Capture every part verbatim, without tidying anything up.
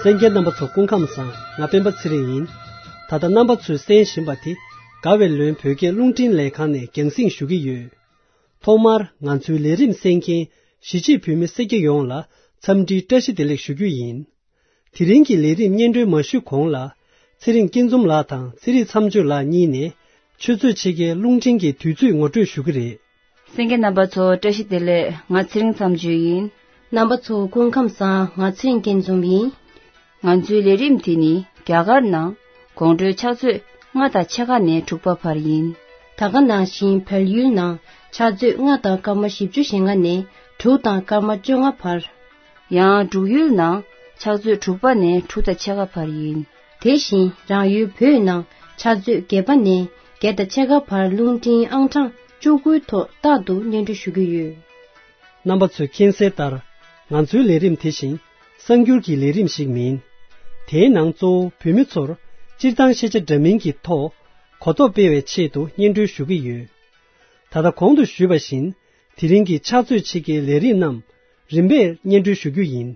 གསན་མཁན་རྣམ་པ་ཚོ་སྐུ་ཁམས་བཟང་། ང་སྤེན་པ་ཚེ་རིང་ཡིན། ད་ལྟ་རྣམ་པ་ཚོས་གསན་བཞིན་པ་དེ་དགའ་བའི་ལོན་བོད་སྐད་རླུང་འཕྲིན་ལས་ཁང་ནས་རྒྱང་སྲིང་ཞུ་གི་ཡོད། ཐོག་མར་ང་ཚོའི་ལས་རིམ་གསན་མཁན་གཞིས་བྱེས་བོད་མི་སེར་སྐྱ་ཡོངས་ལ་འཚམས་འདྲིའི་བཀྲ་ཤིས་བདེ་ལེགས་ཞུ་རྒྱུ་ཡིན། དེ་རིང་གི་ལས་རིམ་སྙན་སྒྲོན་མ་ཞུས་གོང་ལ། ཚེ་རིང་སྐྱིད་འཛོམས་ལགས་དང་ཚེ་རིང་མཚམས་གཅོད་ལགས་གཉིས་ནས་ཆུ་ཚོད་ཕྱེད་ཀའི་རླུང་འཕྲིན་གྱི་དུས་ཚོད་ངོ་སྤྲོད་ཞུ་གི་རེད། གསན་མཁན་རྣམ་པ་ཚོ་བཀྲ་ཤིས་བདེ་ལེགས། ང་ཚེ་རིང་མཚམས་གཅོད་ཡིན། རྣམ་པ་ཚོ་སྐུ་ཁམས་བཟང་། ང་ཚེ་རིང་སྐྱིད་འཛོམས་ཡིན། ང་ཚོའི་ལས་རིམ་དེ་ནི་རྒྱ་གར་ནང་དགོང་དྲོའི་ཕྱག་ཚོད་ལྔ་དང་ཕྱེད་ཀ་ནས་དྲུག་པ་བར་ཡིན། ད་ག་ནང་བཞིན་བལ་ཡུལ་ནང་ཕྱག་ཚོད་ལྔ་དང་སྐར་མ་བཞི་བཅུ་ཞེ་ལྔ་ནས་དྲུག་དང་སྐར་མ་བཅོ་ལྔ་བར། ཡང་འབྲུག་ཡུལ་ནང་ཕྱག་ཚོད་དྲུག་པ་ནས་དྲུག་དང་ཕྱེད་ཀ་བར་ཡིན། དེ་བཞིན་རང་ཡུལ་བོད་ནང་ཕྱག་ཚོད་བརྒྱད་པ་ནས་བརྒྱད་དང་ཕྱེད་ཀ་བར་རླུང་འཕྲིན་ཨང་གྲངས་བཅུ་དགུའི་ཐོག་རྟག་ཏུ་སྙན་སྒྲོན་ཞུ་གི་ཡོད། རྣམ་པ་ཚོས་མཁྱེན་གསལ་ལྟར། ང་ཚོའི་ལས་རིམ་དེ་བཞིན་གསར་འགྱུར་གྱི་ལས་རིམ་ཞིག་མིན། དེའི་ནང་གཙོ་བོ་བོད་མི་ཚོར་སྤྱིར་བཏང་ཤེས་བྱ་འདྲ་མིན་གྱི་ཐོག་གོ་རྟོགས་སྤེལ་བའི་ཆེད་དུ་སྙན་སྒྲོན་ཞུ་གི་ཡོད། ད་ལྟ་གོང་དུ་ཞུས་པ་བཞིན། དེ་རིང་གི་ཕྱག་ཚོད་ཕྱེད་ཀའི་ལས་རིམ་རྣམས་རིམ་པས་སྙན་སྒྲོན་ཞུ་རྒྱུ་ཡིན།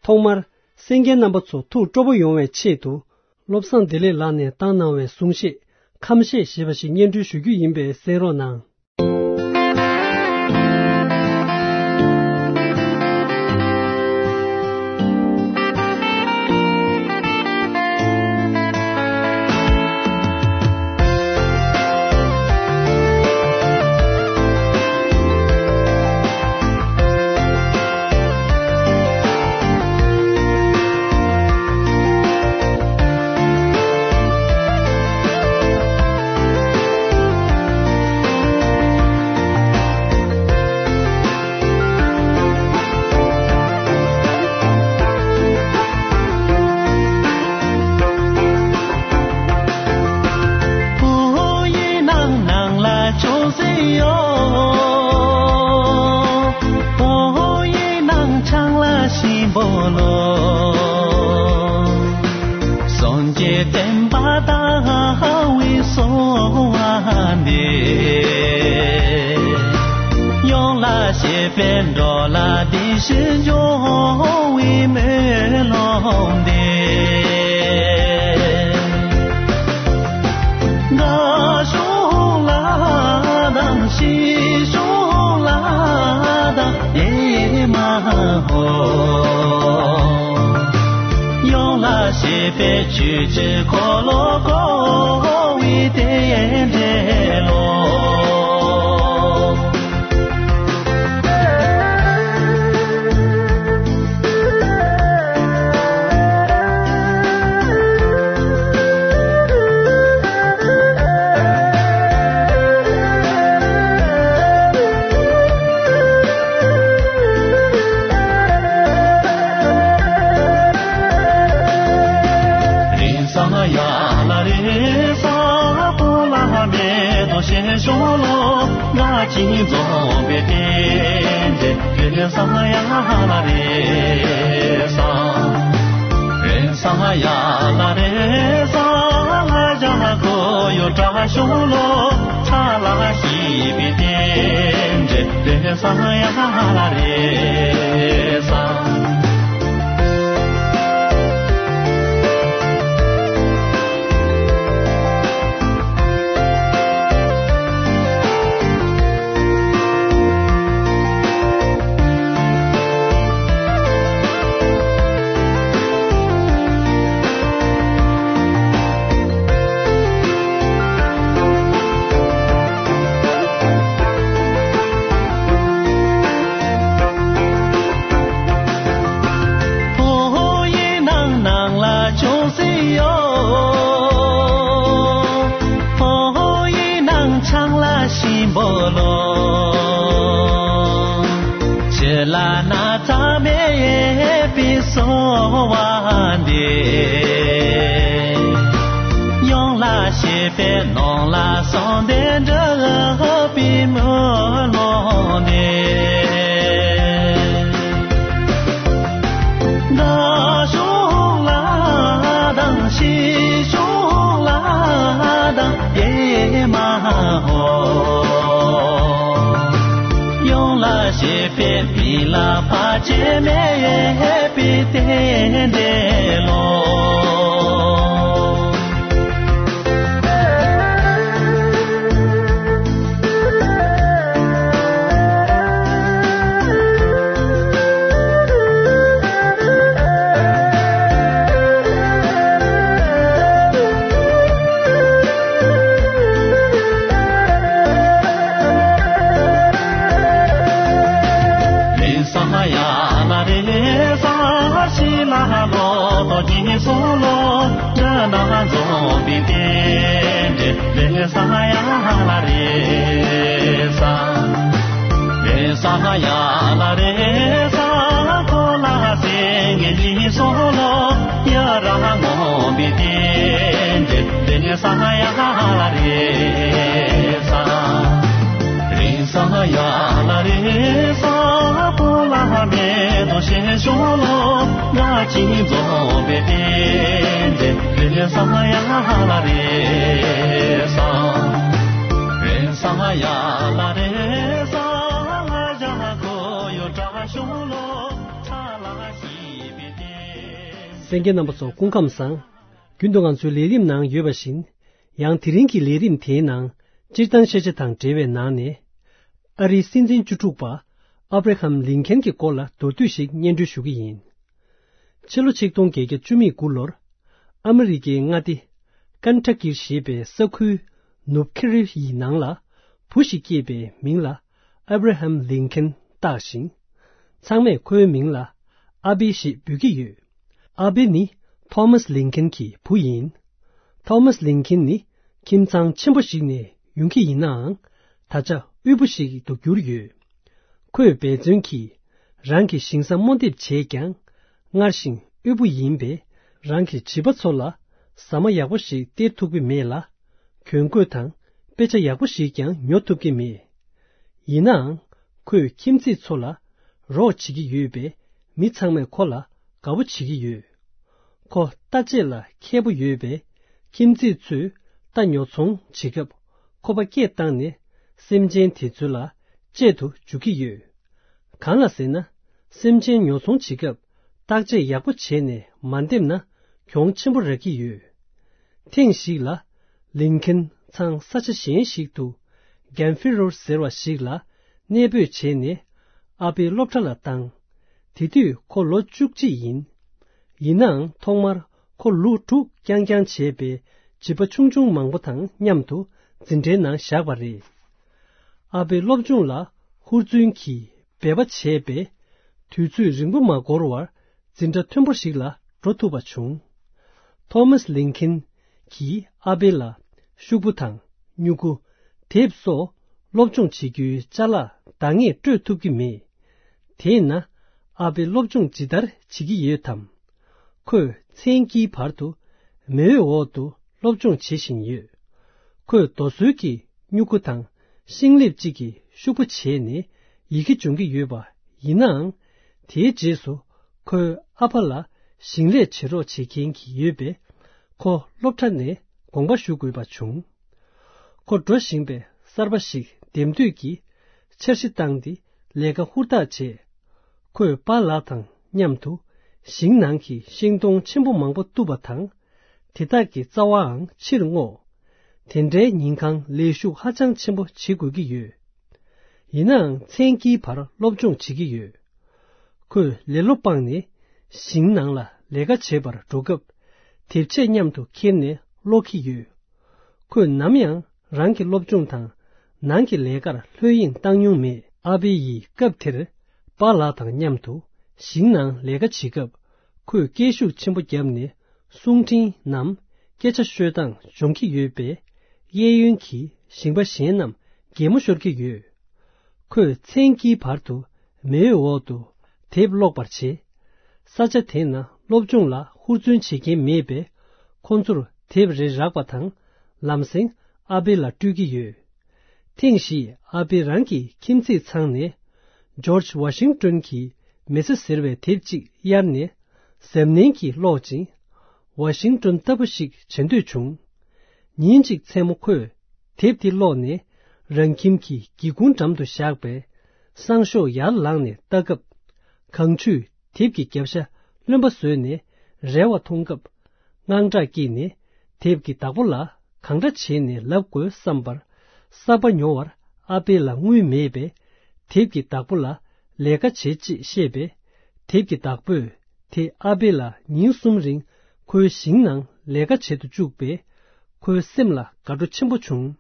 ཐོག་མར་གསན་མཁན་རྣམ་པ་ཚོ་ཐུགས་སྤྲོ་པོ་ཡོང་བའི་ཆེད་དུ། བློ་བཟང་བདེ་ལེགས་ལགས་ནས་བཏང་གནང་བའི་གསུང་བཤད་ཁམས་བཤད་ཞེས་པ་ཞིག་སྙན་སྒྲོན་ཞུ་རྒྱུ་ཡིན་པས་གསན་རོགས་གནང་། བོད་ཡིག་ནང་ནང་ལ་ཅུང་ཟད་ཡོད། བོད་ཡིག་ནང་ཆང་ལ་ཞིམ་པོ་ལོ། སངས་རྒྱས་བསྟན་པ་དར་བའི་གསོལ་བ་འདེབས། ཡོངས་ལ་ཞེས་པའི་འགྲོ་ལ་བདེ་ཞིང་འབྱུང་བའི་སྨོན་ལམ་འདེབས། དགའ་བྱུང་ལ་དང་སྐྱིད་བྱུང་ལ་དང་ཨེ་མ་ཧོ། ཡོངས་ལ་ཞེས་པའི་ཆོས་ཀྱི་འཁོར་ལོ་བསྐོར་བའི་རྟེན་འབྲེལ་ལོ། རེས་གཟའ་ཡ་ལ་རེས་གཟའ་བོད་ལ་མེ་ཏོག་ཞལ་ཤོག་ལོ། ང་གཅིག་འཛོམས་པའི་རྟེན་འབྲེལ་རེས་གཟའ་ཡ་ལ་རེས་གཟའ། རེས་གཟའ་ཡ་ལ་རེས་གཟའ། ལ་ཞག་གོ་ཡོ་བཀྲ་ཤོག་ལོ། ཚ་ལ་ཞིག་པའི་རྟེན་འབྲེལ་རེས་གཟའ་ཡ་ལ་རེས་གཟའ། བོད་ཡིག་ནང་ནང་ལ་ཅུང་ཟད་ཡོད། བོད་ཡིག་ནང་ཆང་ལ་ཞིམ་པོ་ལོ། ཆུ་ལ་ན་ཚ་མེད་པའི་གསོལ་བ་འདེབས། ཡོངས་ལ་ཞེས་པའི་ནང་ལ་གསང་བདེ་འགྲུབ་པའི་སྨོན་ལམ་འདེབས། དགའ་བྱུང་ལ་དང་སྐྱིད་བྱུང་ལ་དང་ཨེ་མ་ཧོ། ཡོངས་ལ་ བྱེད་པའི་མི་ལ་བར་ཆད་མེད་པའི་རྟེན་འབྲེལ་ལོ། རེ་ས་ཡ་ལ་རེ་ས་པོ་ལ་མེ་ཏོ་ཤེ་ཤོ་ལོ་ང་ཅི་ཛོ་བེ་ཏེ་ཏེ་རེ་ས་ཡ་ལ་རེ་ས་རེ་ས་ཡ་ལ་རེ་ས་ལ་ཇ་གོ་ཡོ་ཏྲ་ཤོ་ལོ་ཚ་ལ་ཤི་བེ་ཏེ། གསན་མཁན་རྣམ་པ་ཚོ་སྐུ་ཁམས་བཟང་། རྒྱུན་དུ་ང་ཚོའི་ལས་རིམ་ནང་ཡོད་པ་བཞིན། ཡང་དེ་རིང་གི་ལས་རིམ་དེའི་ནང་། སྤྱིར་བཏང་ཤེས་བྱ་དང་འབྲེལ་བའི་ནང་ནས། ཨ་རིའི་སྲིད་འཛིན་བཅུ་དྲུག་པ། ཨབ་ར་ཧམ་ལིན་ཁན་གྱི་སྐོར་ལ་མདོར་བསྡུས་ཤིག་སྙན་སྒྲོན་ཞུ་གི་ཡིན། ཕྱི་ལོ་ཆིག་སྟོང་བརྒྱད་བརྒྱ་བཅུ་མེད་དགུ་ལོར། ཨ་མི་རི་ཀའི་མངའ་སྡེ། ཀན་ཊ་ཀིར་ཞེས་པའི་ས་ཁུལ། ནུབ་ཁེ་རི་ཡི་ནང་ལ། བུ་ཞིག་སྐྱེས་པའི་མིང་ལ། ཨབ་ར་ཧམ་ལིན་ཁན་བཏགས་ཤིང་། ཚང་མས་ཁོའི་མིང་ལ། ཨ་བེ་ཞེས་འབོད་ཀྱི་ཡོད། ཨ་བེ་ནི་ཐོ་མཱས་ལིན་ཁན་གྱི་བུ་ཡིན། ཐོ་མཱས་ལིན་ཁན་ནི་ཁྱིམ་ཚང་ཆེན་པོ་ཞིག་ནས་ཡོང་གི་ཡིན་ནའང་། ད་ཆ་དབུལ་པོ་ཞིག་ཏུ་གྱུར་ཡོད། ཁོས་འབད་བརྩོན་གྱིས་རང་གི་ཞིང་ས་རྨོ་འདེབས་བྱས་ཀྱང་། སྔར་བཞིན་དབུལ་པོ་ཡིན་པས། རང་གི་བྱིས་པ་ཚོ་ལ་ཟ་མ་ཡག་པོ་ཞིག་སྟེར་ཐུབ་ཀྱི་མེད་ལ། གྱོན་གོས་དང་དཔེ་ཆ་ཡག་པོ་ཞིག་ཀྱང་ཉོ་ཐུབ་ཀྱི་མེད། ཡིན་ནའང་། ཁོས་ཁྱིམ་མཚེས་ཚོ་ལ་རོགས་བྱེད་ཀྱི་ཡོད་པས། མི་ཚང་མས་ཁོ་ལ་དགའ་པོ་བྱེད་ཀྱི་ཡོད། ཁོ་རྟ་དཔྱད་ལ་མཁས་པོ་ཡོད་པས། ཁྱིམ་མཚེས་ཚོས་རྟ་ཉོ་ཚོང་བྱེད་སྐབས། ཁོ་པ་སྐད་བཏང་ནས། སེམས་ཅན་དེ་ཚོ་ལ་དཔྱད་དུ་འཇུག་གི་ཡོད། གང་ལ་ཟེར་ན། སེམས་ཅན་ཉོ་ཚོང་བྱེད་སྐབས། བརྟག་དཔྱད་ཡག་པོ་བྱས་ནས་མ་འདེམས་ན། གྱོང་ཆེན་པོ་རག་གི་ཡོད། ཐེངས་ཤིག་ལ། ལིན་ཁན་ཚང་ས་ཆ་གཞན་ཞིག་ཏུ། གན་ཧྥི་རོར་ཟེར་བ་ཞིག་ལ་གནས་སྤོས་བྱས་ནས། ཨ་ཕའི་སློབ་གྲྭ་ལ་བཏང་། དེ་དུས་ཁོ་ལོ་བཅུ་གཅིག་ཡིན། ཡིན་ནའང་ཐོག་མར་ཁོ་ལུག་དྲུག་རྐྱང་རྐྱང་བྱས་པའི་བྱིས་པ་ཆུང་ཆུང་མང་པོ་དང་མཉམ་དུ་འཛིན་གྲྭའི་ནང་བཞག་པ་རེད། ཨ་ཕའི་སློབ་སྦྱོང་ལ་ཧུར་བརྩོན་གྱིས་འབད་པ་བྱས་པས། དུས་ཚོད་རིང་པོ་མ་འགོར་བར་འཛིན་གྲྭ་མཐོན་པོ་ཞིག་ལ་འགྲོ་ཐུབ་པ་བྱུང་། ཐོ་མཱས་ལིན་ཁན་གྱིས་ཨ་ཕའི་ལ་ཤོག་བུ་དང་སྨྱུ་གུ། དེབ་སོགས་སློབ་སྦྱོང་བྱེད་རྒྱུའི་ཅ་ལག་འདང་ངེས་སྤྲོད་ཐུབ་ཀྱི་མེད། དེས་ན་ཨ་ཕའི་སློབ་སྦྱོང་ཇི་ལྟར་བྱེད་ཀྱི་ཡོད་དམ། ཁོས་མཚན་དཀྱིལ་བར་དུ་མེ་འོད་འོག་ཏུ་སློབ་སྦྱོང་བྱེད་བཞིན་ཡོད། ཁོས་རྡོ་སོལ་གྱི་སྨྱུ་གུ་དང་ཤིང་ལེབ་གཅིག་གི་ཤོག་བུ་བྱས་ནས་ཡི་གེ་སྦྱོང་གི་ཡོད་པ་ཡིན་ནའང་། དེའི་རྗེས་སུ་ཁོའི་ཨ་ཕ་ལ་ཞིང་ལས་བྱེད་རོགས་བྱེད་མཁན་གྱི་ཡོད་པས། ཁོ་སློབ་གྲྭ་ནས་དགོངས་པ་ཞུ་དགོས་པ་བྱུང་། ཁོ་འགྲོ་བཞིན་པའི་གསར་པ་ཞིག་འདེམས་འདོད་ཀྱིས་འཆར་གཞི་བཏང་སྟེ་ལས་ཀ་ཧུར་ཐག་བྱས། ཁོས་པཱ་ལགས་དང་མཉམ་དུ་ཞིང་ནང་གི་ཤིང་སྡོང་ཆེན་པོ་མང་པོ་གཏུབ་པ་དང་། དེ་དག་གི་རྩ་བའང་ཕྱིར་བསྔོགས། དེ་འདྲའི་ཉིན་གང་ལས་ཞུགས་ཧ་ཅང་ཆེན་པོ་བྱེད་དགོས་ཀྱི་ཡོད། ཡིན་ནའང་མཚན་དཀྱིལ་བར་སློབ་སྦྱོང་བྱེད་ཀྱི་ཡོད། ཁོས་ལེ་ལོ་སྤངས་ནས་ཞིང་ནང་ལ་ལས་ཀ་བྱེད་པར་འགྲོ་སྐབས། དེབ་ཆས་མཉམ་དུ་འཁྱེར་ནས་ཀློག་གི་ཡོད། ཁོས་ནམ་ཡང་རང་གི་སློབ་སྦྱོང་དང་ནང་གི་ལས་ཀར་ལྷོད་གཡེང་བཏང་མྱོང་མེད། ཨ་བེ་ཡིས་སྐབས་དེར་པཱ་ལགས་དང་མཉམ་དུ་ཞིང་ནང་ལས་ཀ་བྱེད་སྐབས། ཁོས་སྐད་ཤུགས་ཆེན་པོ་བརྒྱབ་ནས་གསུང་འཕྲིན་ནམ་སྐད་ཆ་ཤོད་སྟངས་སྦྱོང་གི་ཡོད་པས། གཡས་གཡོན་གྱི་ཞིང་པ་གཞན་རྣམས་གད་མོ་ཤོར་གྱི་ཡོད། ཁོས་མཚན་དཀྱིལ་བར་དུ་མེའི་འོག་ཏུ་དེབ་ཀློག་པར་བྱེད། ས་ཆ་དེ་ན་སློབ་སྦྱོང་ལ་ཧུར་བརྩོན་བྱེད་མཁན་མེད་པས། ཁོ་ཚོར་དེབ་རེ་རག་པ་དང་། ལམ་སེང་ཨ་བེ་ལ་སྤྲོད་ཀྱི་ཡོད། ཐེངས་ཤིག་ཨ་བེ་རང་གི་ཁྱིམ་མཚེས་ཚང་ནས། ཇོརྗ་ཝ་ཤིང་ཏོན་གྱི་མི་ཚེ་ཟེར་བའི་དེབ་ཅིག་གཡར་ནས། གཟབ་ནན་གྱིས་ཀློག་ཅིང་། ཝ་ཤིང་ཏོན་ལྟ་བུ་ཞིག་བྱེད་འདོད་བྱུང་། ཉིན་གཅིག་མཚན་མོ་ཁོས་དེབ་དེ་ཀློག་ནས། རང་ཁྱིམ་གྱི་སྒེའུ་ཁུང་འགྲམ་དུ་བཞག་པའི་ སང་ཞོགས་ཡར་ལངས་ནས་ལྟ་སྐབས། གངས་ཆུས་དེབ་ཀྱི་རྒྱབ་ཤ་རློན་པ་བཟོས་ནས་རལ་བ་མཐོང་སྐབས། དངངས་སྐྲག་སྐྱེས་ནས་དེབ་ཀྱི་བདག་པོ་ལ་གང་འདྲ་བྱས་ནས་ལབ་དགོས་བསམ་པར། གསར་པ་ཉོ་བར་ཨ་པེ་ལ་དངུལ་མེད་པས། དེབ་ཀྱི་བདག་པོ་ལ་ལས་ཀ་བྱེད་ཅེས་བཤད་པས། དེབ་ཀྱི་བདག་པོས་དེ་ཨ་པེ་ལ་ཉིན་གསུམ་རིང་ཁོའི་ཞིང་ནང་ལས་ཀ་བྱེད་དུ་བཅུག་པས། ཁོའི་སེམས་ལ་དགའ་སྤྲོ་ཆེན་པོ་བྱུང་།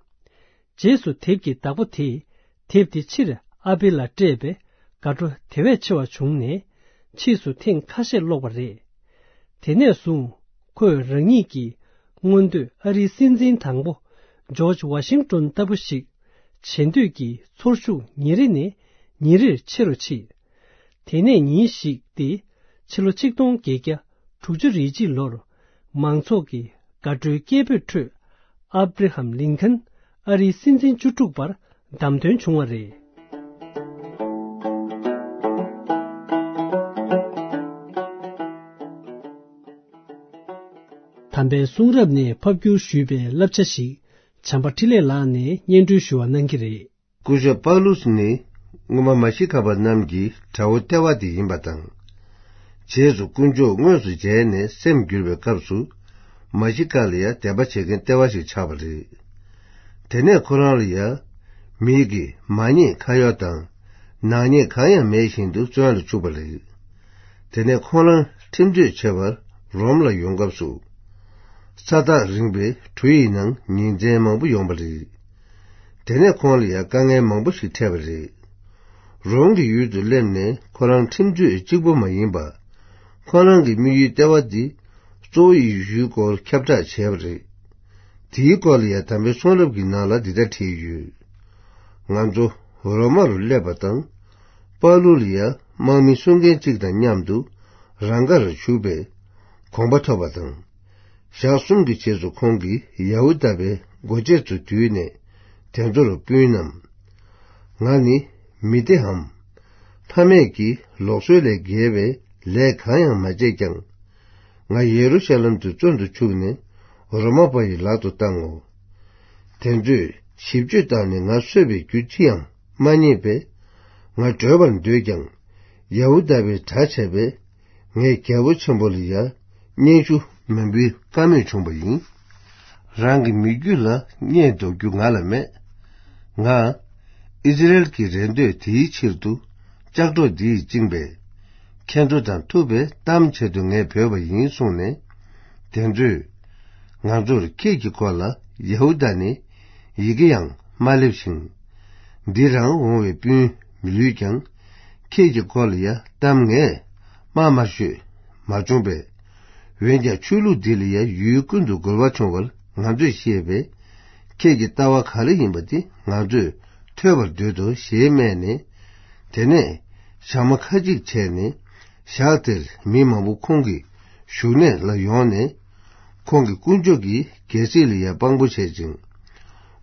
རྗེས་སུ་དེབ་ཀྱི་བདག་པོ་དེས་དེབ་དེ་ཕྱིར་ཨ་པེ་ལ་སྤྲད་པས། དགའ་སྤྲོ་དེ་བས་ཆེ་བ་བྱུང་ནས། ཕྱིས་སུ་ཐེངས་ཁ་ཤས་ཀློག་པ་རེད། དེ་ནས་བཟུང་ཁོས་རང་ཉིད་ཀྱི་མངོན་འདོད་ཨ་རིའི་སྲིད་འཛིན་དང་པོ་ཇོརྗ་ཝ་ཤིང་ཏོན་ལྟ་བུ་ཞིག་བྱེད་འདོད་ཀྱི་ཚོར་ཤུགས་ཉིན་རེ་ནས་ཉིན་རེར་ཆེ་རུ་ཕྱིན། དེ་ནས་ཉིན་ཞིག་སྟེ། ཕྱི་ལོ་ཆིག་སྟོང་བརྒྱད་བརྒྱ་དྲུག་ཅུ་རེ་གཅིག་ལོར། མང་ཚོགས་ཀྱི་དགའ་སྤྲོའི་སྐད་འབོད་ཁྲོད། ཨབ་རི་ཧམ་ལིན་ཁན་ཨ་རིའི་སྲིད་འཛིན་བཅུ་དྲུག་པར་བདམས་ཐོན་བྱུང་བ་རེད། དམ་པའི་གསུང་རབ་ནས་ཕབ་བསྒྱུར་ཞུས་པའི་བསླབ་བྱ་ཞིག་བྱམས་པ་འཕྲིན་ལས་ལགས་ནས་སྙན་སྒྲོན་ཞུ་བ་གནང་གི་རེད། སྐུ་ཞབས་པཱ་ལུས་ནི་སྔོན་མ་མ་ཤི་ཀ་པ་རྣམས་ཀྱི་དགྲ་བོ་ལྟེ་བ་དེ་ཡིན་པ་དང་། རྗེས་སུ་དཀོན་མཆོག་དངོས་སུ་མཇལ་ནས་སེམས་འགྱུར་བའི་སྐབས་སུ། མ་ཤི་ཀ་ལ་ཡང་དད་པ་བྱེད་མཁན་ལྟེ་བ་ཞིག་ཆགས་པ་རེད། དེ་ནས་ཁོ་རང་ལ་ཡང་མིའི་གི་མ་ཉེས་ཁ་གཡོག་དང་ནག་ཉེས་གང་ཡང་མེད་བཞིན་དུ་བཙོན་ལ་བཅུག་པ་རེད། དེ་ནས་ཁོ་རང་ཁྲིམས་གཅོད་བྱེད་པར་རོམ་ལ་ཡོང་སྐབས་སུ། ས་ཐག་རིང་བའི་གྲུ་ཡི་ནང་ཉིན་མཚན་མང་པོ་ཡོང་བ་རེད། དེ་ནས་ཁོང་ལ་ཡང་དཀའ་ངལ་མང་པོ་ཞིག་འཕྲད་པ་རེད། རོམ་གྱི་ཡུལ་དུ་སླེབས་ནས་ཁོ་རང་ཁྲིམས་རྩོད་གཅིག་པོ་མ་ཡིན་པ། ཁོ་རང་གི་དམིགས་ཡུལ་ལྟེ་བ་འདི་གཙོ་བོ་ཡེ་ཤུའི་སྐོར་ཁྱབ་བསྒྲགས་བྱས་པ་རེད། དེའི་སྐོར་ལ་ཡང་དམ་པའི་གསུང་རབ་ཀྱི་ནང་ལ་འདི་ལྟར་བྲིས་ཡོད། ང་ཚོ་རོ་མ་རུ་སླེབས་པ་དང་། པཱ་ལུ་ལ་ཡང་དམག་མི་སྲུང་མཁན་གཅིག་དང་མཉམ་དུ་རང་དགར་བཞུགས་པའི་དགོངས་པ་ཐོབ་པ་དང་། ཞག་གསུམ་གྱི་རྗེས་སུ་ཁོང་གིས་ཡ་ཧུ་དཱ་པའི་འགོ་བྱེད་ཚོ་བསྡུས་ནས་དེ་ཚོར་སྤུན་རྣམས། ང་ནི་མི་སྡེའམ་ཕ་མེས་ཀྱི་ལུགས་སྲོལ་ལས་འགལ་བའི་ལས་གང་ཡང་མ་བྱས་ཀྱང་། ང་ཡེ་རུ་ཤ་ལམ་དུ་བཙོན་དུ་བཅུག་ནས་རོ་མ་པ་ཡི་ལག་ཏུ་བཏང་ངོ་། དེ་ཚོས་ཞིབ་དཔྱོད་བཏང་ནས་ང་གསོད་པའི་རྒྱུ་ཅི་ཡང་མ་རྙེད་པས། ང་བྲོས་པར་འདོད་ཀྱང་། ཡ་ཧུ་དཱ་པའི་གྲྭ་བྱས་པས། ངས་རྒྱལ་པོ་ཆེན་པོ་ལ་ཡང་སྙན་ཞུ་མ་འབུལ་ཀ་མེད་བྱུང་བ་ཡིན། རང་གི་མི་རྒྱུད་ལ་བརྙས་འདོགས་རྒྱུ་ང་ལ་མེད། ང་ཨིས་ར་ཨེལ་གྱི་རེ་འདོད་དེའི་ཕྱིར་དུ་ལྕགས་སྒྲོག་འདིས་བཅིངས་པས། ཁྱེད་ཚོ་དང་ཐུག་པའི་གཏམ་བྱེད་དུ་ངས་བོས་པ་ཡིན་གསུངས་ནས། དེ་ཚོས་ང་ཚོར་ཁྱེད་ཀྱི་སྐོར་ལ་ཡ་ཧུ་དཱ་ནས་ཡི་གེ་ཡང་མ་སླེབས་ཤིང་། འདི་རང་འོང་བའི་སྤུན་མི་ལུས་ཀྱང་། ཁྱེད་ཀྱི་སྐོར་ལ་ཡ་གཏམ་ངས་མ་མ་ཤོད་མ་བྱུང་པས། འོན་ཀྱང་ཆོས་ལུགས་འདི་ལ་ཡ་ཡུལ་ཀུན་ཏུ་རྒོལ་བ་བྱུང་བར་ང་ཚོས་ཤེས་པས། ཁྱེད་ཀྱི་ལྟ་བ་ག་རེ་ཡིན་པ་དེ་ང་ཚོས་ཐོས་པར་འདོད་དོ་ཞེས་སྨྲས་ནས། དེ་ནས་ཞག་མ་ཁ་ཅིག་བྱས་ནས་ཞག་དེར་མི་མང་པོ་ཁོང་གི་བཞུགས་གནས་ལ་ཡོང་ནས། ཁོང་གིས་དཀོན་མཆོག་གི་རྒྱལ་སྲིད་ལ་ཡང་དཔང་པོ་བྱེད་ཅིང་།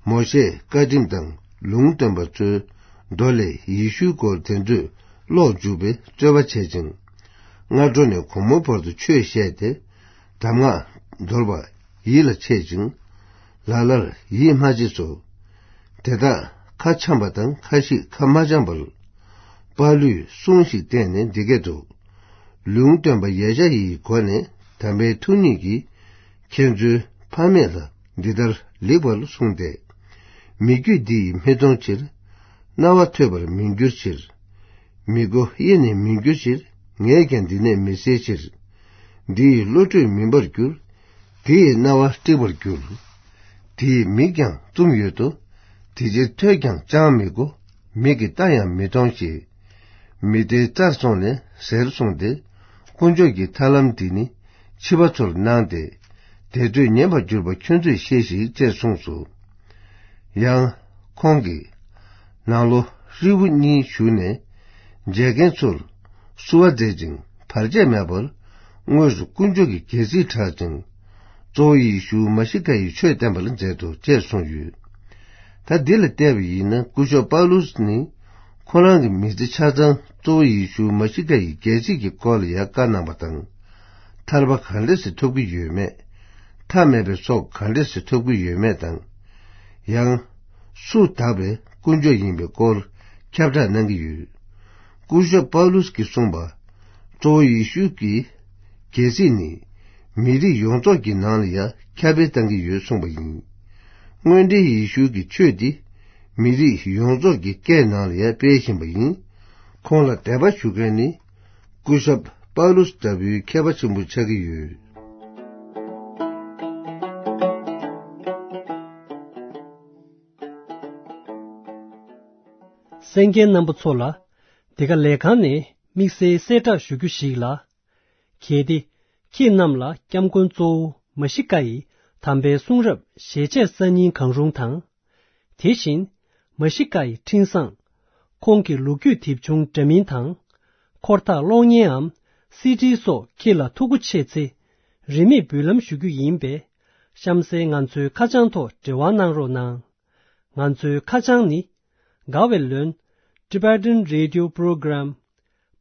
མོ་ཤེས་བཀའ་ཁྲིམས་དང་ལུང་སྟོན་པ་ཚོའི་མདོ་ལས་ཡེ་ཤུའི་སྐོར་དེ་ཚོས་ཀློག་འཇུག་པའི་རྩོད་པ་བྱེད་ཅིང་། སྔ་དྲོ་ནས་དགོང་མོའི་བར་དུ་ཆོས་བཤད་དེ། གདམས་ངག་འདོར་བ་ཡིད་ལ་ཆེས་ཤིང་། ལ་ལར་ཡིད་མ་ཆེས་སོ། དེ་དག་ཁ་འཆམ་པ་དང་ཁ་ཞིག་ཁ་མ་འཆམ་པར། པཱ་ལུས་གསུང་ཞིག་བསྟན་ནས་འདི་སྐད་དུ། ལུང་སྟོན་པ་ཡེ་ཤ་ཡིའི་སྒོ་ནས་དམ་པའི་ཐུགས་ཉིད་ཀྱིས་ཁྱེད་ཚོའི་ཕ་མེས་ལ་འདི་ལྟར་ལེགས་པར་གསུངས་ཏེ། མི་རྒྱུད་འདི་ཡིས་མི་གཏོང་ཕྱིར། རྣ་བ་ཐོས་པར་མི་འགྱུར་ཕྱིར། མི་མགོ་གཡས་ནས་མི་འགྱུར་ཕྱིར། ངས་ཀྱང་འདི་ནས་མི་སེལ་ཕྱིར། འདི་ཡིས་བློ་གྲོས་མིན་པར་འགྱུར། དེ་ཡི་རྣ་བ་དཀྲིགས་པར་འགྱུར། དེ་ཡི་མིག་ཀྱང་བཙུམས་ཡོད་དོ། དེ་ཕྱིར་ཐོས་ཀྱང་ཅང་མི་གོ། མིག་གིས་ལྟ་ཡང་མི་མཐོང་ཞེས། མི་སྡེའི་རྩར་སོང་ནས་ཟེར་གསུངས་ཏེ། དཀོན་མཆོག་གི་ཐར་ལམ་འདི་ནི་ཕྱི་པ་ཚོར་གནང་སྟེ། དེ་ཚོས་ཉན་པར་གྱུར་པ་ཁྱོད་ཚོས་ཤེས་ཤིག་ཅེས་གསུངས་སོ། ཡང་ཁོང་གིས་ནང་ལོ་ཧྲིལ་བོ་གཉིས་བཞུགས་ནས་མཇལ་མཁན་ཚོར་བསུ་བ་མཛད་ཅིང་བར་ཆད་མེད་པར་དངོས་སུ་དཀོན་མཆོག་གི་རྒྱལ་སྲིད་གྲགས་ཤིང་། གཙོ་བོ་ཡེ་ཤུ་མ་ཤི་ཀ་ཡི་ཆོས་བསྟན་པར་མཛད་དོ་ཅེས་གསུངས་ཡོད། ད་འདི་ལ་བལྟས་པ་ཡིན་ན་སྐུ་ཞབས་པཱ་ལུས་ནི་ཁོ་རང་གི་མི་ཚེ་ཆ་ཚང་གཙོ་བོ་ཡེ་ཤུ་མ་ཤི་ཀ་ཡི་རྒྱལ་སྲིད་ཀྱི་སྐོར་ལ་ཡང་བཀའ་གནང་བ་དང་། ཐར་པ་ག་འདྲ་ཞིག་ཐོབ་ཀྱི་ཡོད་མེད། མཐའ་མེད་པའི་སྲོག་ག་འདྲ་ཞིག་ཐོབ་ཀྱི་ཡོད་མེད་དང་། ཡང་སུ་དག་པའི་དཀོན་མཆོག་ཡིན་པའི་སྐོར། ཁྱབ་བསྒྲགས་གནང་གི་ཡོད། སྐུ་ཞབས་པའུ་ལུས་ཀྱིས་གསུངས་པ། གཙོ་བོ་ཡེ་ཤུ་གི་རྒྱལ་སྲིད་ནི་མི་རིགས་ཡོངས་རྫོགས་ཀྱི་ནང་ལ་ཡང་ཁྱབ་སྤེལ་གཏང་གི་ཡོད་གསུངས་པ་ཡིན། དངོས་འབྲེལ་ཡེ་ཤུ་གི་ཆོས་འདི་མི་རིགས་ཡོངས་རྫོགས་ཀྱི་སྐད་ནང་ལ་ཡང་སྤེལ་བཞིན་པ་ཡིན། ཁོང་ལ་དད་པ་ཞུ་མཁན་ནི་སྐུ་ཞབས་པའུ་ལུས་ལྟ་བུའི་མཁས་པ་ཆེན་པོ་ཆགས་ཀྱི་ཡོད། གསན་མཁན་རྣམ་པ་ཚོ་ལ། འདི་ག་ལས་ཁང་ནས་དམིགས་བསལ་གསལ་བསྒྲགས་ཞུ་རྒྱུ་ཞིག་ལ། གལ་ཏེ། ཁྱེད་རྣམས་ལ་སྐྱབས་མགོན་གཙོ་བོ་མ་ཤི་ཀ་ཡི་དམ་པའི་གསུང་རབ་ཞལ་ཆད་གསར་རྙིང་གང་རུང་དང་། དེ་བཞིན། མ་ཤི་ཀ་ཡི་འཕྲིན་བཟང་། ཁོང་གི་ལོ་རྒྱུས་དེབ་ཆུང་འདྲ་མིན་དང་། འཁོར་ཐག་གློག་བརྙན་འམ་སི་ཌི་སོགས་ཁྱེད་ལ་ཐུགས་མཁོ་ཆེ་ཚེ། རིན་མེད་འབུལ་ལམ་ཞུ་རྒྱུ་ཡིན་པས། གཤམ་གསལ་ང་ཚོའི་ཁ་བྱང་ཐོག་འབྲེལ་བ་གནང་རོགས་གནང་། ང་ཚོའི་ཁ་བྱང་ནི། དགའ་བའི་ལོན། Tibetan Radio Program།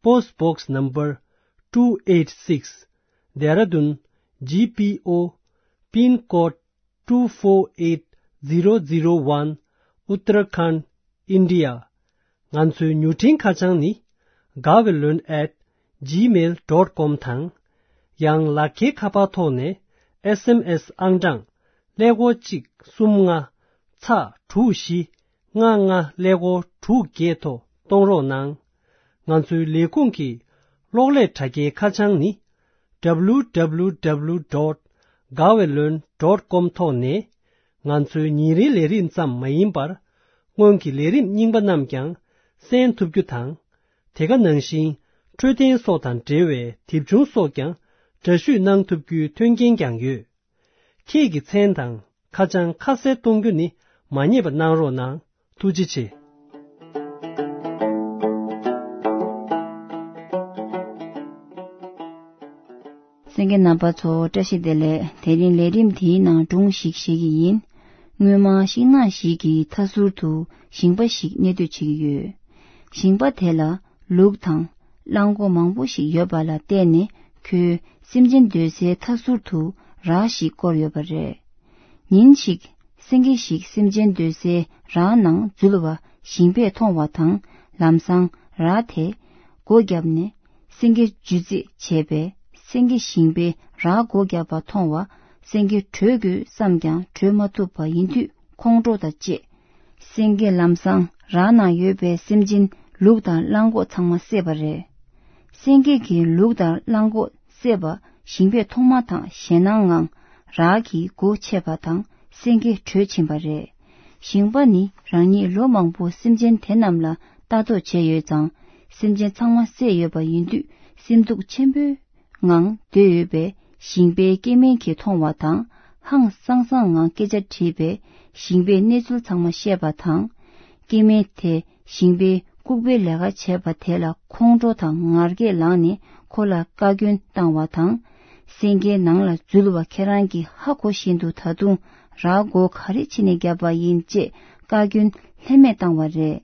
Post Box Number two eight six། Dehradun G P O། Pin Code two four eight zero zero one། Uttarakhand། India། ང་ཚོའི་མྱུར་འཕྲིན་ཁ་བྱང་ནི། དགའ་བའི་ལོན་at gmail dot com དང་། ཡང་ལག་འཁྱེར་ཁ་པར་ཐོག་ནས་S M S ཨང་གྲངས་ཀླད་ཀོར་གཅིག་གསུམ་ལྔ་ཚག་དྲུག་བཞི་ལྔ་ལྔ་ཀླད་ཀོར་དྲུག་བརྒྱད་ཐོག་གཏོང་རོགས་གནང་། ང་ཚོའི་ལས་ཁུངས་ཀྱི་གློག་ཀླད་དྲ་རྒྱའི་ཁ་བྱང་ནི། W W W dot gawelon dot com ཐོག་ནས་ང་ཚོའི་ཉིན་རེའི་ལས་རིམ་ཙམ་མ་ཡིན་པར། སྔོན་གྱི་ལས་རིམ་རྙིང་པ་རྣམས་ཀྱང་གསན་ཐུབ་རྒྱུ་དང་། དེ་ག་ནང་བཞིན་འཕྲོད་བསྟེན་སོགས་དང་འབྲེལ་བའི་དེབ་ཆུང་སོགས་ཀྱང་འདྲ་བཤུས་གནང་ཐུབ་རྒྱུའི་མཐུན་རྐྱེན་ཀྱང་ཡོད། ཁྱེད་ཀྱི་མཚན་དང་ཁ་བྱང་ཁ་གསལ་གཏོང་རྒྱུ་ནི་མ་བསྙེལ་བ་གནང་རོགས་གནང་། ཐུགས་རྗེ་ཆེ། གསན་མཁན་རྣམ་པ་ཚོ་བཀྲ་ཤིས་བདེ་ལེགས། དེ་རིང་ལས་རིམ་དེའི་ནང་སྒྲུང་ཞིག་བཤད་ཀྱི་ཡིན། སྔོན་མ་ཤིང་ནགས་ཤིག་གི་མཐའ་ཟུར་དུ་ཞིང་པ་ཞིག་གནས་སྡོད་བྱེད་ཀྱི་ཡོད། ཞིང་པ་དེ་ལ་ལུག་དང་གླང་མགོ་མང་པོ་ཞིག་ཡོད་པ་ལ་བརྟེན་ནས་ཁོས་སེམས་ཅན་སྡོད་སའི་མཐའ་ཟུར་དུ་ར་ཞིག་བསྐོར་ཡོད་པ་རེད། ཉིན་ཞིག་སེང་གེ་ཞིག་སེམས་ཅན་སྡོད་སའི་ར་ནང་འཛུལ་བ་ཞིང་པས་མཐོང་བ་དང་། ལམ་སང་ར་དེས་སྒོ་བརྒྱབ་ནས་སེང་གེ་འཇུ་རྩིས་བྱས་པས། སེང་གེ་ཞིང་པས་ར་སྒོ་བརྒྱབ་པ་མཐོང་བ། སེང་གེ་བྲོས་དགོས་བསམས་ཀྱང་བྲོས་མ་ཐུབ་པ་ཡིན་དུས་ཁོང་ཁྲོ་དང་བཅས། སེང་གེས་ལམ་སང་ར་ནང་ཡོད་པའི་སེམས་ཅན་ལུག་དང་གླང་མགོ་ཚང་མ་བསད་པ་རེད། སེང་གེ་གིས་ལུག་དང་གླང་མགོ་བསད་པ་ཞིང་པས་མཐོང་མ་ཐག་ཞེད་སྣང་ངང་ར་གི་སྒོ་ཕྱེས་པ་དང་སེང་གེ་བྲོས་ཕྱིན་པ་རེད། ཞིང་པ་ནི་རང་ཉིད་ལོ་མང་པོ་སེམས་ཅན་དེ་རྣམས་ལ་ལྟ་རྟོག་བྱས་ཡོད་ཙང་། སེམས་ཅན་ཚང་མ་བསད་ཡོད་པ་ཡིན་དུས་སེམས་སྡུག་ཆེན་པོའི་ངང་སྡོད་ཡོད་པས། ཞིང་པའི་སྐྱེ་དམན་གྱིས་མཐོང་བ་དང་ཧང་སང་སང་ངང་སྐད་ཆ་དྲིས་པས། ཞིང་པས་གནས་ཚུལ་ཚང་མ་བཤད་པ་དང་། སྐྱེ་དམན་དེས་ཞིང་པའི་ལྐུགས་པའི་ལས་ཀ་བྱས་པ་དེ་ལ་ཁོང་ཁྲོ་དང་ངར་སྐད་ལངས་ནས་ཁོ་ལ་བཀའ་བཀྱོན་བཏང་བ་དང་། སེང་གེའི་ནང་ལ་འཛུལ་བ་ཁྱེད་རང་གིས་ཧ་གོ་བཞིན་དུ་ད་དུང་ར་སྒོ་ག་རེ་བྱས་ནས་བརྒྱབ་པ་ཡིན་ཅེས་བཀའ་བཀྱོན་ལྷད་མེད་བཏང་བ་རེད།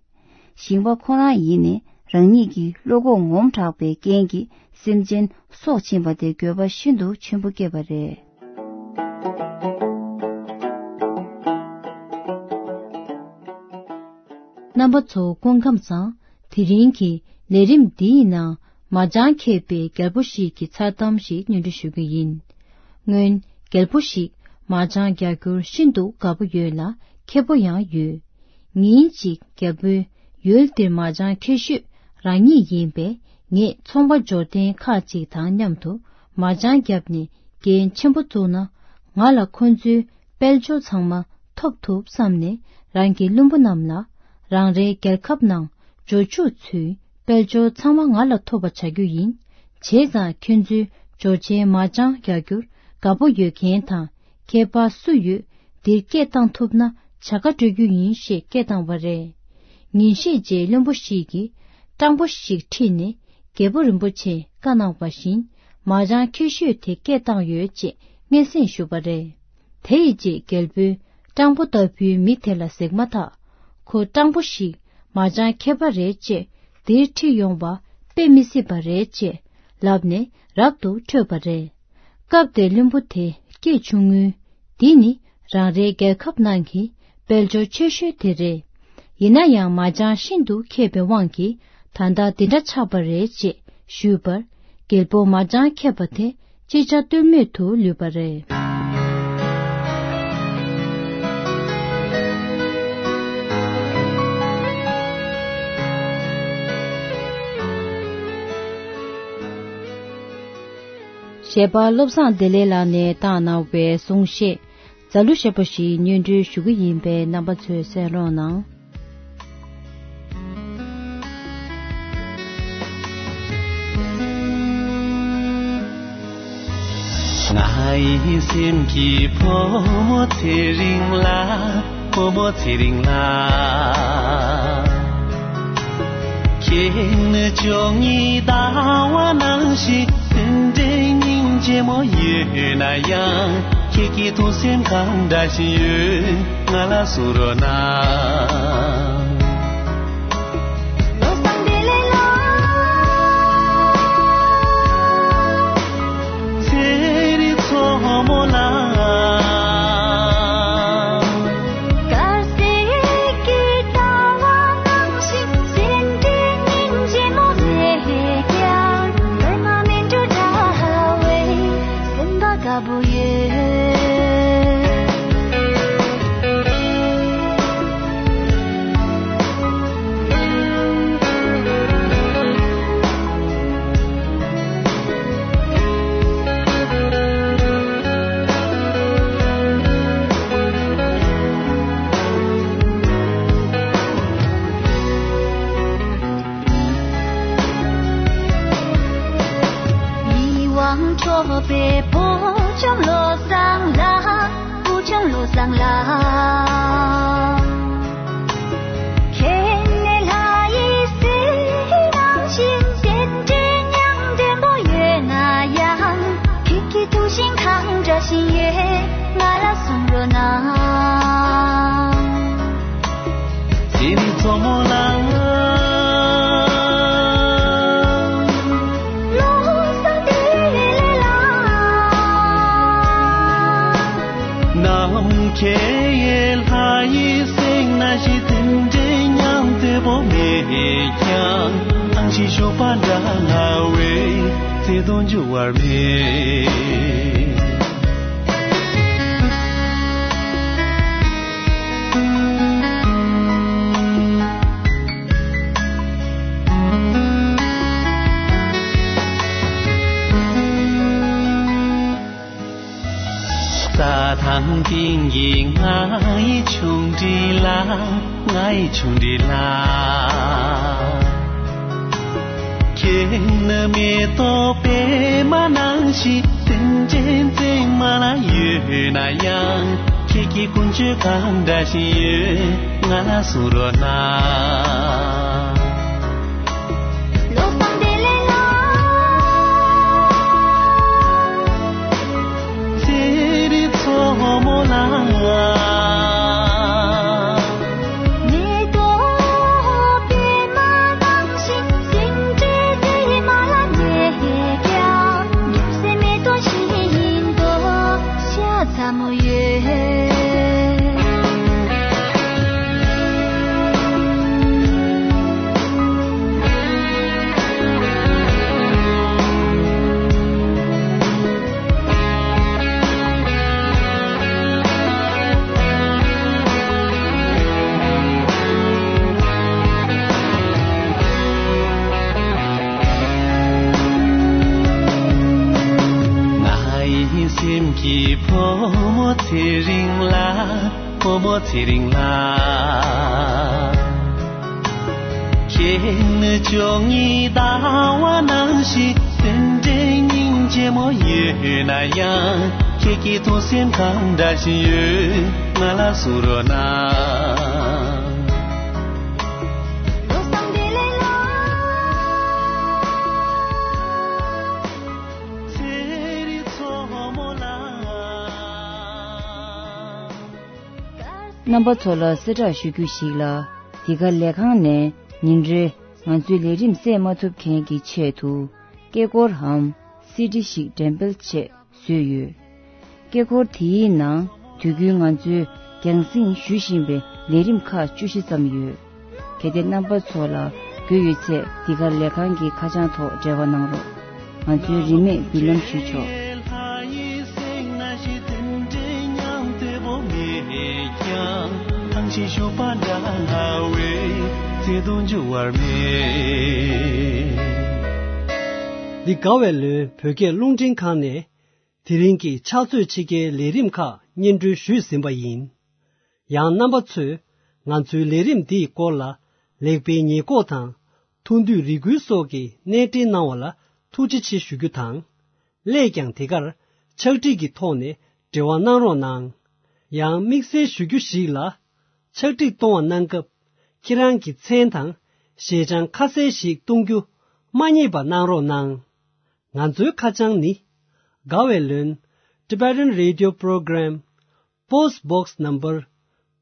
ཞིང་པ་ཁོ་རང་ཡིན་ནས་རང་ཉིད་ཀྱི་བློ་ཁོག་ངོམ་དྲགས་པའི་རྐྱེན་གྱིས་སེམས་ཅན་སྲོག་ཕྱིན་པ་དེ་འགྱོད་པ་ཤིན་ཏུ་ཆེན་པོ་སྐྱེས་པ་རེད། རྣམ་པ་ཚོ་སྐུ་ཁམས་བཟང་། དེ་རིང་གི་ལས་རིམ་འདིའི་ནང་མ་ཅང་མཁས་པའི་རྒྱལ་པོ་ཞིག་གི་མཚར་གཏམ་ཞིག་སྙན་སྒྲོན་ཞུ་གི་ཡིན། སྔོན་རྒྱལ་པོ་ཞིག་མ་ཅང་རྒྱག་རྒྱུར་ཤིན་ཏུ་དགའ་པོ་ཡོད་ལ་མཁས་པོ་ཡང་ཡོད། ཉིན་གཅིག་རྒྱལ་པོས་ཡུལ་འདིར་མ་ཅང་མཁས་ཤོས་རང་ཉིད་ཡིན་པས། ངས་ཚོང་པ་འབྱོར་ལྡན་ཁག་ཅིག་དང་མཉམ་དུ་མ་ཅང་བརྒྱབ་ནས་རྒྱན་ཆེན་པོ་བཙུགས་ན། ང་ལ་ཁོ་ཚོའི་དཔལ་འབྱོར་ཚང་མ་ཐོབ་ཐུབ་བསམ་ནས། རང་གི་བློན་པོ་རྣམས་ལ། རང་རེའི་རྒྱལ་ཁབ་ནང་འབྱོར་ཕྱུག་ཚོའི་དཔལ་འབྱོར་ཚང་མ་ང་ལ་ཐོབ་པ་བྱ་རྒྱུ་ཡིན། བྱས་ཙང་ཁྱོད་ཚོའི་འབྱོར་ཆེན་མ་ཅང་རྒྱག་རྒྱུར་དགའ་པོ་ཡོད་མཁན་དང་། མཁས་པ་སུ་ཡོད། འདིར་སྐད་བཏང་ཐུབ་ན་བྱ་དགའ་སྤྲོད་རྒྱུ་ཡིན་ཞེས་སྐད་བཏང་བ་རེད། ཉིན་ཤས་རྗེས་བློན་པོ་ཞིག་གིས་སྤྲང་པོ་ཞིག་ཁྲིད་ནས་རྒྱལ་པོ་རིན་པོ་ཆེས་བཀའ་གནང་བ་བཞིན་མ་ཅང་མཁས་ཤོས་དེ་སྐད་བཏང་ཡོད་ཅེས་སྙན་སེང་ཞུས་པ་རེད། དེ་ཡི་རྗེས་རྒྱལ་པོས་སྤྲང་པོ་ལྟ་བུའི་མི་དེ་ལ་གཟིགས་མ་ཐག་ཁོ་སྤྲང་པོ་ཞིག་མ་ཅང་མཁས་པ་རེད་ཅེས་འདིར་ཁྲིད་ཡོང་བ་དཔེ་མི་སྲིད་པ་རེད་ཅེས་ལབ་ནས་རབ་ཏུ་ཁྲོས་པ་རེད། སྐབས་དེར་བློན་པོ་དེ་སྐད་ཆུང་ངུས། འདི་ནི་རང་རེའི་རྒྱལ་ཁབ་ནང་གི་དཔལ་འབྱོར་ཆེ་ཤོས་དེ་རེད། ཡིན་ན་ཡང་མ་བྱང་ཤིན་ཏུ་མཁས་པའི་དབང་གིས་ད་ལྟ་འདི་འདྲ་ཆགས་པ་རེད་ཅེས་ཞུས་པར། རྒྱལ་པོ་མ་བྱང་མཁས་པ་དེ་ཅིག་ཅར་ལྟོས་མེད་དུ་ལུས་པ་རེད། གཞས་པ་བློ་བཟང་བདེ་ལེགས་ལགས་ནས་བཏང་གནང་བའི་གསུང་བཤད། རྫ་གླུ་ཞེས་པ་ཞིག་སྙན་སྒྲོན་ཞུ་གི་ཡིན་པས་རྣམ་པ་ཚོས་གསན་རོགས་གནང་། ང་ཡི་སེམས་ཀྱི་བུ་མོ་ཚེ་རིང་ལགས། བུ་མོ་ཚེ་རིང་ལགས། ཁྱེད་ནི་བཅུ་གཉིས་ཟླ་བ་ནང་བཞིན་དེ་འདྲའི་སྙིང་རྗེ་མོ་ཡོད་ན་ཡང་། ཁྱེད་ཀྱི་ཐུགས་སེམས་གང་འདྲ་ཞིག་ཡོད་ང་ལ་གསུང་རོགས་གནང་། བློ་བཟང་བདེ་ལེགས་ལགས། ཚེ་རིང་མཚོ་མོ་ལ། དཀར་ཟས་ཀྱི་ཟླ་བ་ནང་བཞིན་སེམས་ཀྱི་སྙིང་རྗེ་མོ་རེད་ཀྱང་། ལོས་མ་མིན་འགྲོ་འདྲ་བའི་སེམས་པ་དགའ་པོ་ཡོད། ཡིད་དབང་འཕྲོག་པའི་བུ་ཆུང་བློ་བཟང་ལགས། བུ་ཆུང་བློ་བཟང་ལགས། ཁྱེད་ནི་ལྷ་ཡི་གཟི་ནང་བཞིན་བདེན་འདྲའི་མྱང་འདྲེན་པོ་ཡོད་ན་ཡང་། ཁྱེད་ཀྱི་ཐུགས་བཞེད་གང་འདྲ་ཞིག་ཡོད་ང་ལ་གསུང་རོགས་གནང་། ཚེ་རིང་མཚོ་མོ་ལ། བློ་བཟང་བདེ་ལེགས་ལགས། ནམ་མཁའི་ལྷ་ཡི་གཟིགས་ན་ཞིག་དེ་འདྲའི་མྱང་འདྲེན་པོ་མེད་ཀྱང་། ཨང་ཞིག་ཞོགས་པ་འདྲ་ལ་བའི་ཚེ་དང་འགྱུར་བར་མེད། རྩྭ་ཐང་སྟེང་གི་ང་ཡི་ཆུང་འདྲིས་ལ། ང་ཡི་ཆུང་འདྲིས་ལ། ཁྱེད་ནི་མེ་ཏོག་པད་མ་ནང་བཞིན་དེ་འདྲའི་མཛེས་མ་ལ་ཡོད་ན་ཡང་། ཁྱེད་ཀྱི་ཀུན་སྤྱོད་གང་འདྲ་ཞིག་ཡོད་ང་ལ་གསུང་རོགས་གནང་། བློ་བཟང་བདེ་ལེགས་ལགས། ཚེ་རིང་མཚོ་མོ་ལ། མེ་ཏོག་པད་མ་ནང་བཞིན་སེམས་ཁྲལ་དེ་མ་ལ་ཉེ་ཀྱང་། འགྱུར་སའི་མེ་ཏོག་ཞིག་ཡིན་དོ་ཤ་ཚ་མོ་ཡོད། ང་ཡི་སེམས་ཀྱི་བུ་མོ་ཚེ་རིང་ལ། བུ་མོ་ཚེ་རིང་ལ། ཁྱེད་ནི་བཅུ་གཉིས་ཟླ་བ་ནང་བཞིན་དེ་འདྲའི་སྙིང་རྗེ་མོ་ཡོད་ན་ཡང་། ཁྱེད་ཀྱི་ཐུགས་སེམས་གང་འདྲ་ཞིག་ཡོད་ང་ལ་གསུང་རོགས་གནང་། བློ་བཟང་བདེ་ལེགས་ལགས། ཚེ་རིང་མཚོ་མོ་ལ། རྣམ་པ་ཚོ་ལ་གསལ་བསྒྲགས་ཞུ་རྒྱུ་ཞིག་ལ། འདི་ག་ལས་ཁང་ནས་ཉིན་རེ་ང་ཚོའི་ལས་རིམ་གསན་མ་ཐུབ་མཁན་གྱི་ཆེད་དུ། སྐད་འཁོར་འམ་སི་ཌི་ཞིག་འགྲེམས་སྤེལ་ཆེད་བཟོས་ཡོད། སྐད་འཁོར་དེའི་ནང་དུས་རྒྱུན་ང་ཚོས་རྒྱང་སྲིང་ཞུ་བཞིན་པའི་ལས་རིམ་ཁག་བཅུ་བཞི་ཙམ་ཡོད། གལ་ཏེ་རྣམ་པ་ཚོ་ལ་རྒྱུས་ཡོད་ཚེ་འདི་གར་ལས་ཁང་གི་ཁ་བྱང་ཐོག་འབྲེལ་བ་གནང་རོགས། ང་ཚོའི་རིན་མེད་མདུན་ལམ་ཞུས་ཆོག། འདི་དགའ་བའི་ལོན་བོད་སྐད་རླུང་འཕྲིན་ཁང་ནས་དེ་རིང་གི་ཕྱག་ཚོད་ཕྱེད་ཀའི་ལས་རིམ་ཁག་སྙན་སྒྲོན་ཞུས་ཟིན་པ་ཡིན། ཡང་རྣམ་པ་ཚོས་ང་ཚོའི་ལས་རིམ་འདིའི་སྐོར་ལ་ལེགས་སྤེལ་ཉེས་འགོག་དང་ཐུགས་འདོད་རེ་སྐུལ་སོགས་ཀྱི་གནས་འབྲེལ་གནང་བ་ལ་ཐུགས་རྗེ་ཆེ་ཞུ་རྒྱུ་དང་། སླད་ཀྱང་དེ་གར་ཕྱག་བྲིས་ཀྱི་ཐོག་ནས་འབྲེལ་བ་གནང་རོགས་གནང་། ཡང་དམིགས་བསལ་ཞུ་རྒྱུ་ཞིག་ལ། ཕྱག་བྲིས་གཏོང་བ་གནང་སྐབས་ཁྱེད་རང་གི་མཚན་དང་ཞལ་བྱང་ཁ་གསལ་ཞིག་གཏོང་རྒྱུ་མ་བསྙེལ་བ་གནང་རོགས་གནང་། ང་ཚོའི་ཁ་བྱང་ནི། དགའ་བའི་ལོན། Tibetan Radio Program, Post Box Number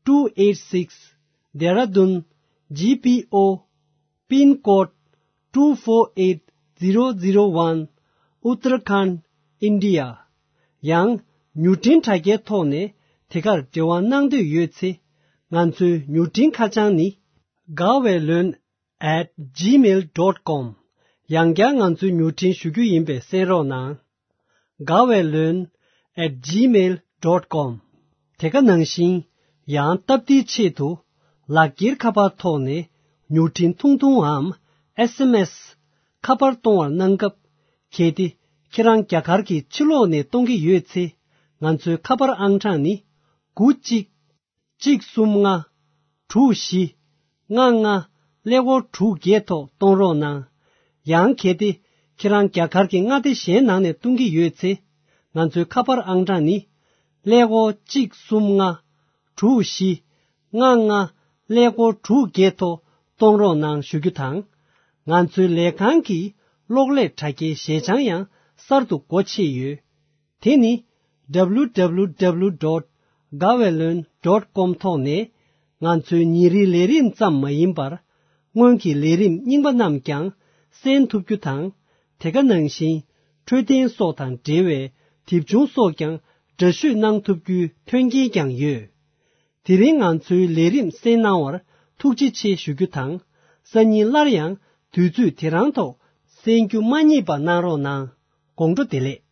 two eight six, Dehradun G P O, Pin Code two four eight zero zero one, Uttarakhand, India. ཡང་མྱུར་འཕྲིན་དྲ་རྒྱའི་ཐོག་ནས་དེ་གར་འབྲེལ་བ་གནང་འདོད་ཡོད་ཚེ། ང་ཚོའི་མྱུར་འཕྲིན་ཁ་བྱང་ནི། དགའ་བའི་ལོན། at gmail dot com། ཡང་བསྐྱར་ང་ཚོའི་མྱུར་འཕྲིན་ཞུ་རྒྱུ་ཡིན་པས་གསན་རོགས་གནང་། དགའ་བའི་ལོན། at gmail dot com། དེ་ག་ནང་བཞིན། ཡང་སྟབས་བདེའི་ཆེད་དུ། ལག་འཁྱེར་ཁ་པར་ཐོག་ནས་མྱུར་འཕྲིན་ཐུང་ཐུང་འམ། S M S། ཁ་པར་གཏོང་བར་གནང་སྐབས། གལ་ཏེ་ཁྱེད་རང་རྒྱ་གར་གྱི་ཕྱི་ལོགས་ནས་གཏོང་གི་ཡོད་ཚེ། ང་ཚོའི་ཁ་པར་ཨང་གྲངས་ནི། དགུ་གཅིག་གཅིག་གསུམ་ལྔ། དྲུག་བཞི། ལྔ་ལྔ། ཀླད་ཀོར་དྲུག་བརྒྱད་ཐོག་གཏོང་རོགས་གནང་། ཡང་གལ་ཏེ་ཁྱེད་རང་རྒྱ་གར་གྱི་མངའ་སྡེ་གཞན་ནང་ནས་གཏོང་གི་ཡོད་ཚེ། ང་ཚོའི་ཁ་པར་ཨང་གྲངས་ནི། ཀླད་ཀོར་གཅིག་གསུམ་ལྔ། དྲུག་བཞི། ལྔ་ལྔ། ཀླད་ཀོར་དྲུག་བརྒྱད་ཐོག་གཏོང་རོགས་གནང་ཞུ་རྒྱུ་དང་། ང་ཚོའི་ལས་ཁང་གི་གློག་ཀླད་དྲ་རྒྱའི་ཞལ་བྱང་ཡང་གསར་དུ་སྒོ་ཕྱེ་ཡོད། དེ་ནི། W W W dot gaweylon dot com ཐོག་ནས་ང་ཚོའི་ཉིན་རེའི་ལས་རིམ་ཙམ་མ་ཡིན་པར། སྔོན་གྱི་ལས་རིམ་རྙིང་པ་རྣམས་ཀྱང་གསན་ཐུབ་རྒྱུ་དང་། དེ་ག་ནང་བཞིན་འཕྲོད་བསྟེན་སོགས་དང་འབྲེལ་བའི་དེབ་ཆུང་སོགས་ཀྱང་འདྲ་བཤུས་གནང་ཐུབ་རྒྱུའི་མཐུན་རྐྱེན་ཀྱང་ཡོད། དེ་རིང་ང་ཚོའི་ལས་རིམ་གསན་གནང་བར་ཐུགས་རྗེ་ཆེ་ཞུ་རྒྱུ་དང་། སང་ཉིན་སླར་ཡང་དུས་ཚོད་དེ་རང་ཐོག་གསན་རྒྱུ་མ་བསྙེལ་བ་གནང་རོགས་གནང་། དགོང་དྲོ་བདེ་ལེགས།